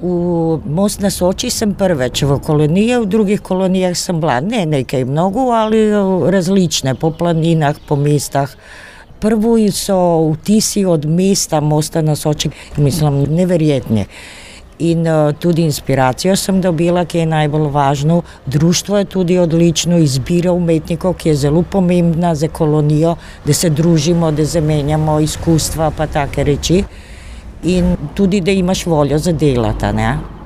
V Most na Soči sem prvič v koloniji, v drugih kolonijah sem bila ne nekaj mnogo, ali različne, po planinah, po mestah. Prvi so vtisi od mesta Mosta na Soči, mislim, neverjetni. In tudi inspiracijo sem dobila, ki je najbolj važno. Društvo je tudi odlično, izbira umetnikov, ki je zelo pomembna za kolonijo, da se družimo, da zamenjamo izkustva pa take reči. In tudi, da imaš voljo za delati, ne?